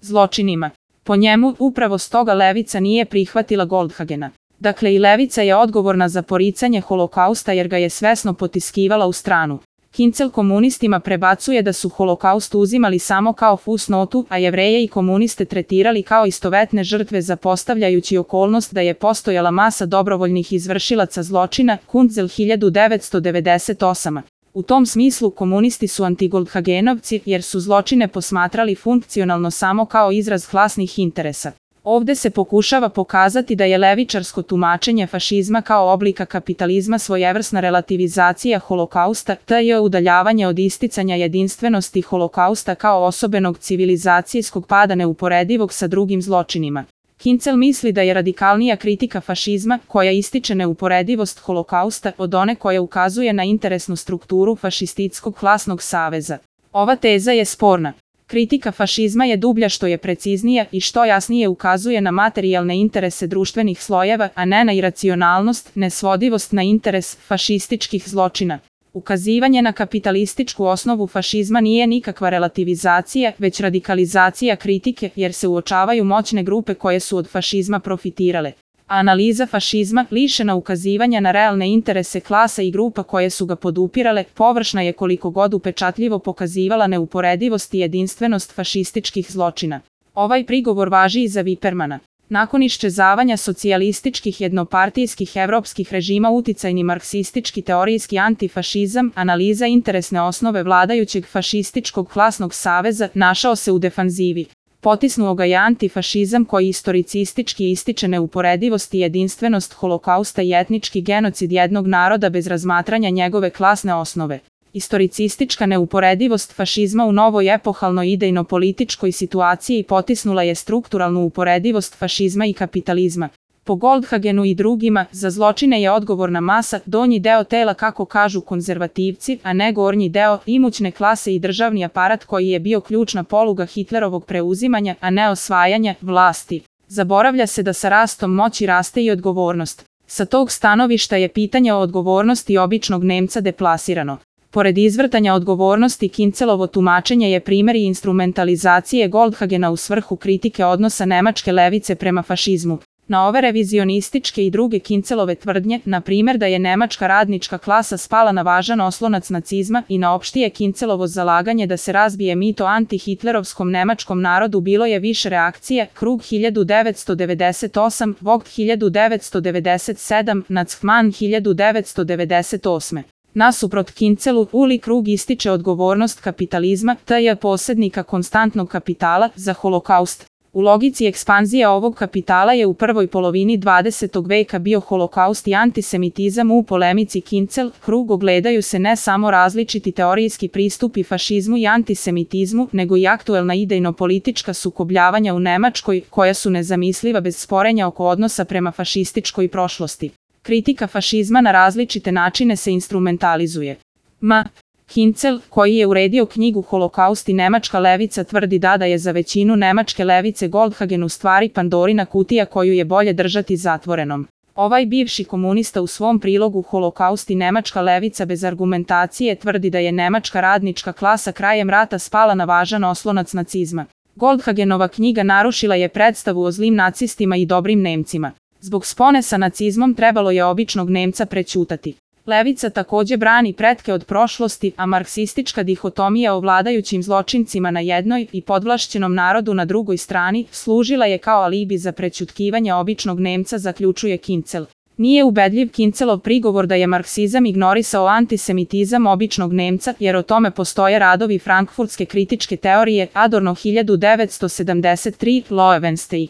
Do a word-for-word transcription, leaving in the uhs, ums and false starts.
zločinima. Po njemu, upravo stoga levica nije prihvatila Goldhagena. Dakle, i levica je odgovorna za poricanje holokausta jer ga je svesno potiskivala u stranu. Kincel komunistima prebacuje da su holokaust uzimali samo kao fusnotu, a Jevreje i komuniste tretirali kao istovetne žrtve zapostavljajući okolnost da je postojala masa dobrovoljnih izvršilaca zločina, Kunzel hiljadu devetsto devedeset osam. U tom smislu komunisti su antigoldhagenovci jer su zločine posmatrali funkcionalno samo kao izraz klasnih interesa. Ovde se pokušava pokazati da je levičarsko tumačenje fašizma kao oblika kapitalizma svojevrsna relativizacija holokausta, te je udaljavanje od isticanja jedinstvenosti holokausta kao osobenog civilizacijskog pada neuporedivog sa drugim zločinima. Kincel misli da je radikalnija kritika fašizma, koja ističe neuporedivost holokausta, od one koja ukazuje na interesnu strukturu fašistitskog klasnog saveza. Ova teza je sporna. Kritika fašizma je dublja što je preciznija i što jasnije ukazuje na materijalne interese društvenih slojeva, a ne na iracionalnost, nesvodivost na interes fašističkih zločina. Ukazivanje na kapitalističku osnovu fašizma nije nikakva relativizacija, već radikalizacija kritike, jer se uočavaju moćne grupe koje su od fašizma profitirale. Analiza fašizma, lišena ukazivanja na realne interese klasa i grupa koje su ga podupirale, površna je koliko god upečatljivo pokazivala neuporedivost i jedinstvenost fašističkih zločina. Ovaj prigovor važi i za Vipermana. Nakon iščezavanja socijalističkih jednopartijskih evropskih režima uticajni marksistički teorijski antifašizam, analiza interesne osnove vladajućeg fašističkog klasnog saveza, našao se u defanzivi. Potisnuo ga je antifašizam koji istoricistički ističe neuporedivost i jedinstvenost holokausta i etnički genocid jednog naroda bez razmatranja njegove klasne osnove. Istoricistička neuporedivost fašizma u novoj epohalnoj idejno-političkoj situaciji potisnula je strukturalnu uporedivost fašizma i kapitalizma. Po Goldhagenu i drugima, za zločine je odgovorna masa, donji deo tela kako kažu konzervativci, a ne gornji deo, imućne klase i državni aparat koji je bio ključna poluga Hitlerovog preuzimanja, a ne osvajanja vlasti. Zaboravlja se da sa rastom moći raste i odgovornost. Sa tog stanovišta je pitanje o odgovornosti običnog Nemca deplasirano. Pored izvrtanja odgovornosti, Kincelovo tumačenje je primjer instrumentalizacije Goldhagena u svrhu kritike odnosa nemačke levice prema fašizmu. Na ove revizionističke i druge Kincelove tvrdnje, na primjer da je nemačka radnička klasa spala na važan oslonac nacizma i na opštije Kincelovo zalaganje da se razbije mito antihitlerovskom nemačkom narodu bilo je više reakcije, Krug hiljadu devetsto devedeset osam, Vogt hiljadu devetsto devedeset sedam, Nacman hiljadu devetsto devedeset osam. Nasuprot Kincelu, Uli Krug ističe odgovornost kapitalizma, te je posjednika konstantnog kapitala, za holokaust. U logici ekspanzije ovog kapitala je u prvoj polovini dvadesetog veka bio holokaust i antisemitizam. U polemici Kincel, Krug ogledaju se ne samo različiti teorijski pristupi fašizmu i antisemitizmu, nego i aktuelna idejno-politička sukobljavanja u Nemačkoj, koja su nezamisliva bez sporenja oko odnosa prema fašističkoj prošlosti. Kritika fašizma na različite načine se instrumentalizuje. M. Kincel, koji je uredio knjigu Holokaust i nemačka levica, tvrdi da da je za većinu nemačke levice Goldhagen u stvari Pandorina kutija koju je bolje držati zatvorenom. Ovaj bivši komunista u svom prilogu Holokaust i nemačka levica bez argumentacije tvrdi da je nemačka radnička klasa krajem rata spala na važan oslonac nacizma. Goldhagenova knjiga narušila je predstavu o zlim nacistima i dobrim Nemcima. Zbog spone sa nacizmom trebalo je običnog Nemca prećutati. Levica također brani pretke od prošlosti, a marksistička dihotomija o vladajućim zločincima na jednoj i podvlašćenom narodu na drugoj strani služila je kao alibi za prećutkivanje običnog Nemca, zaključuje Kincel. Nije ubedljiv Kincelov prigovor da je marksizam ignorisao antisemitizam običnog Nemca, jer o tome postoje radovi frankfurtske kritičke teorije Adorno hiljadu devetsto sedamdeset tri, Loewenstein.